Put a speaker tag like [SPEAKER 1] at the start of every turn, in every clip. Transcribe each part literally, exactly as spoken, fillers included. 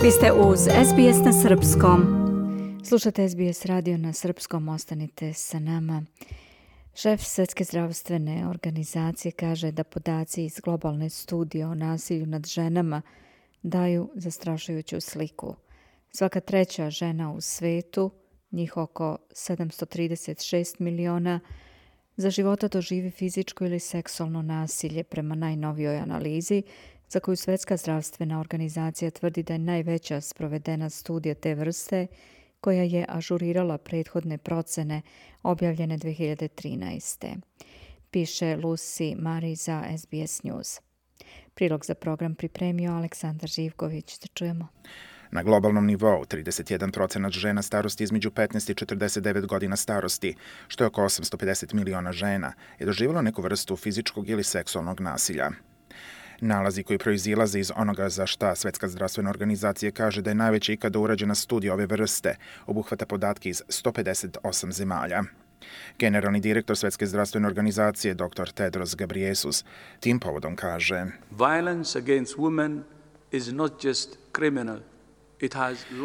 [SPEAKER 1] Vi ste uz es be es na srpskom. Slušate es be es radio na srpskom, ostanite sa nama. Šef Svjetske zdravstvene organizacije kaže da podaci iz globalne studije o nasilju nad ženama daju zastrašujuću sliku. Svaka treća žena u svetu, njih oko sedamsto trideset šest miliona, za života doživi fizičko ili seksualno nasilje prema najnovijoj analizi, za koju Svjetska zdravstvena organizacija tvrdi da je najveća sprovedena studija te vrste, koja je ažurirala prethodne procene objavljene dvije hiljade trinaeste. Piše Lucy Mari za es be es News. Prilog za program pripremio Aleksandar Živković. Da čujemo.
[SPEAKER 2] Na globalnom nivou trideset jedan procenat žena starosti između petnaest i četrdeset devet godina starosti, što je oko osamsto pedeset miliona žena, je doživjelo neku vrstu fizičkog ili seksualnog nasilja. Nalazi koji proizilaze iz onoga za šta Svjetska zdravstvena organizacija kaže da je najveća ikada urađena studija ove vrste, obuhvata podatke iz sto pedeset osam zemalja. Generalni direktor Svjetske zdravstvene organizacije, dr Tedros Ghebreyesus, tim povodom kaže:
[SPEAKER 3] Violence against women is not just criminal.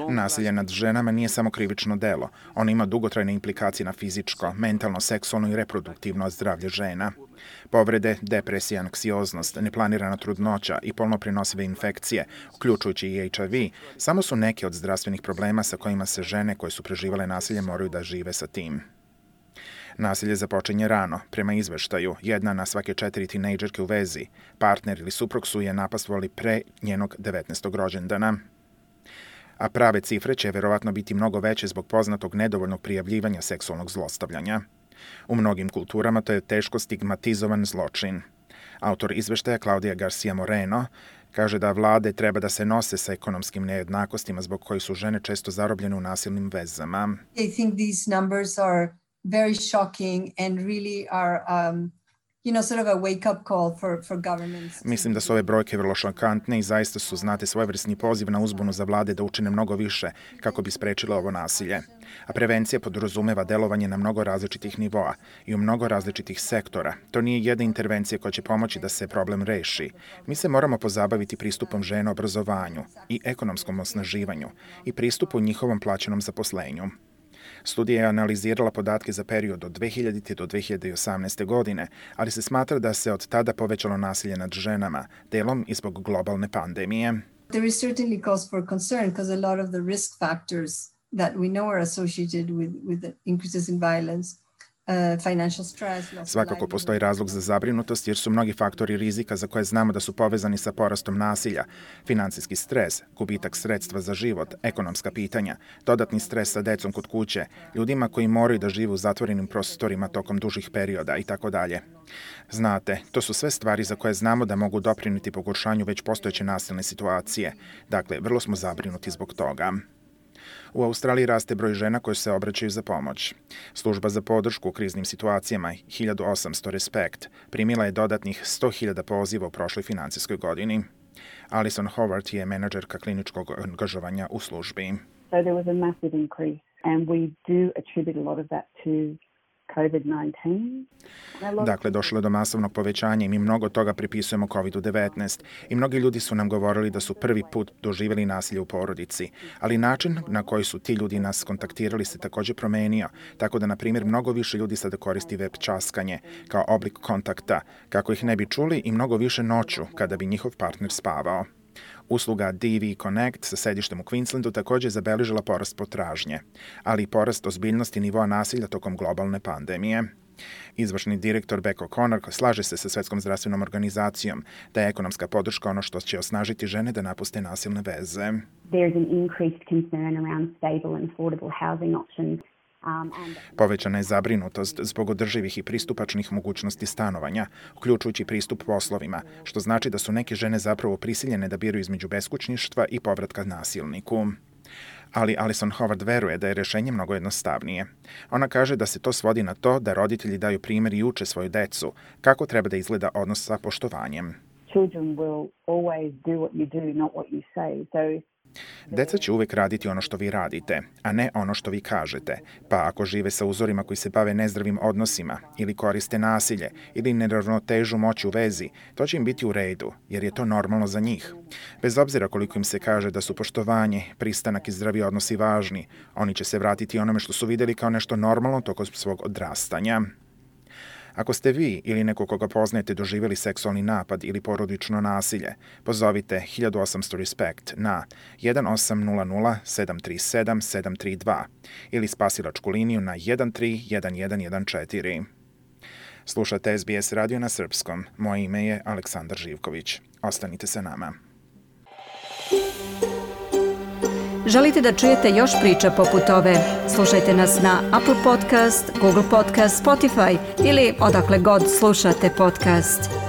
[SPEAKER 2] Nasilje nad ženama nije samo krivično delo. Ono ima dugotrajne implikacije na fizičko, mentalno, seksualno i reproduktivno zdravlje žena. Povrede, depresija, anksioznost, neplanirana trudnoća i polno prenosive infekcije, uključujući i H I V, samo su neke od zdravstvenih problema sa kojima se žene koje su preživale nasilje moraju da žive sa tim. Nasilje započinje rano. Prema izveštaju, jedna na svake četiri tinejdžerke u vezi, partner ili suprug su je napastvovali pre njenog devetnaestog rođendana. A prave cifre će verovatno biti mnogo veće zbog poznatog nedovoljnog prijavljivanja seksualnog zlostavljanja. U mnogim kulturama to je teško stigmatizovan zločin. Autor izveštaja Claudia Garcia Moreno kaže da vlade treba da se nose sa ekonomskim nejednakostima zbog kojih su žene često zarobljene u nasilnim vezama.
[SPEAKER 4] I think these numbers are very shocking and really are um, You know, sort of a wake-up call for, for governments.
[SPEAKER 2] Mislim da su ove brojke vrlo šokantne i zaista su, znate, svojevrsni poziv na uzbunu za vlade da učine mnogo više kako bi sprečile ovo nasilje. A prevencija podrazumeva delovanje na mnogo različitih nivoa i u mnogo različitih sektora. To nije jedna intervencija koja će pomoći da se problem reši. Mi se moramo pozabaviti pristupom žena obrazovanju i ekonomskom osnaživanju i pristupu njihovom plaćenom zaposlenju. Studija je analizirala podatke za period od dve hiljadite do dve hiljade osamnaeste. godine, ali se smatra da se od tada povećalo nasilje nad ženama, delom i zbog globalne pandemije.
[SPEAKER 4] There is certainly cause for concern because a lot of the risk factors that we know are associated with, with the increases in violence, Uh, financial stress,
[SPEAKER 2] Svakako postoji razlog za zabrinutost jer su mnogi faktori rizika za koje znamo da su povezani sa porastom nasilja, financijski stres, gubitak sredstva za život, ekonomska pitanja, dodatni stres sa decom kod kuće, ljudima koji moraju da žive u zatvorenim prostorima tokom dužih perioda i tako dalje. Znate, to su sve stvari za koje znamo da mogu doprinijeti pogoršanju već postojeće nasilne situacije. Dakle, vrlo smo zabrinuti zbog toga. U Australiji raste broj žena koje se obraćaju za pomoć. Služba za podršku u kriznim situacijama hiljadu osamsto Respect primila je dodatnih sto hiljada poziva u prošloj financijskoj godini. Alison Howard je menadžerka kliničkog angažovanja u službi.
[SPEAKER 5] So there was a massive increase and we do attribute a lot of that to covid nineteen.
[SPEAKER 2] Dakle, došlo je do masovnog povećanja i mi mnogo toga pripisujemo kovid devetnaest. I mnogi ljudi su nam govorili da su prvi put doživjeli nasilje u porodici. Ali način na koji su ti ljudi nas kontaktirali se također promenio. Tako da, na primjer, mnogo više ljudi sada koristi web časkanje kao oblik kontakta, kako ih ne bi čuli i mnogo više noću kada bi njihov partner spavao. Usluga D V Connect sa sedištem u Queenslandu također je zabeležila porast potražnje, ali i porast ozbiljnosti nivoa nasilja tokom globalne pandemije. Izvršni direktor Beck O'Connor slaže se sa Svjetskom zdravstvenom organizacijom da je ekonomska podrška ono što će osnažiti žene da napuste nasilne veze.
[SPEAKER 5] There is an increased concern around stable and affordable housing options.
[SPEAKER 2] Povećana je zabrinutost zbog održivih i pristupačnih mogućnosti stanovanja, uključujući pristup poslovima, što znači da su neke žene zapravo prisiljene da biraju između beskućništva i povratka nasilniku. Ali Alison Howard veruje da je rješenje mnogo jednostavnije. Ona kaže da se to svodi na to da roditelji daju primjer i uče svoju decu kako treba da izgleda odnos sa poštovanjem.
[SPEAKER 5] Children will always do what you do, not what you say. So
[SPEAKER 2] Deca će uvek raditi ono što vi radite, a ne ono što vi kažete, pa ako žive sa uzorima koji se bave nezdravim odnosima ili koriste nasilje ili neravnotežu moći u vezi, to će im biti u redu, jer je to normalno za njih. Bez obzira koliko im se kaže da su poštovanje, pristanak i zdravi odnosi važni, oni će se vratiti onome što su videli kao nešto normalno tokom svog odrastanja. Ako ste vi ili neko koga poznajete doživjeli seksualni napad ili porodično nasilje, pozovite hiljadu osamsto RESPECT na jedan osam nula nula sedam tri sedam sedam tri dva ili spasilačku liniju na jedan tri jedan jedan jedan četiri. Slušate S B S radio na srpskom. Moje ime je Aleksandar Živković. Ostanite sa nama.
[SPEAKER 1] Želite da čujete još priča poput ove? Slušajte nas na Apple Podcast, Google Podcast, Spotify ili odakle god slušate podcast.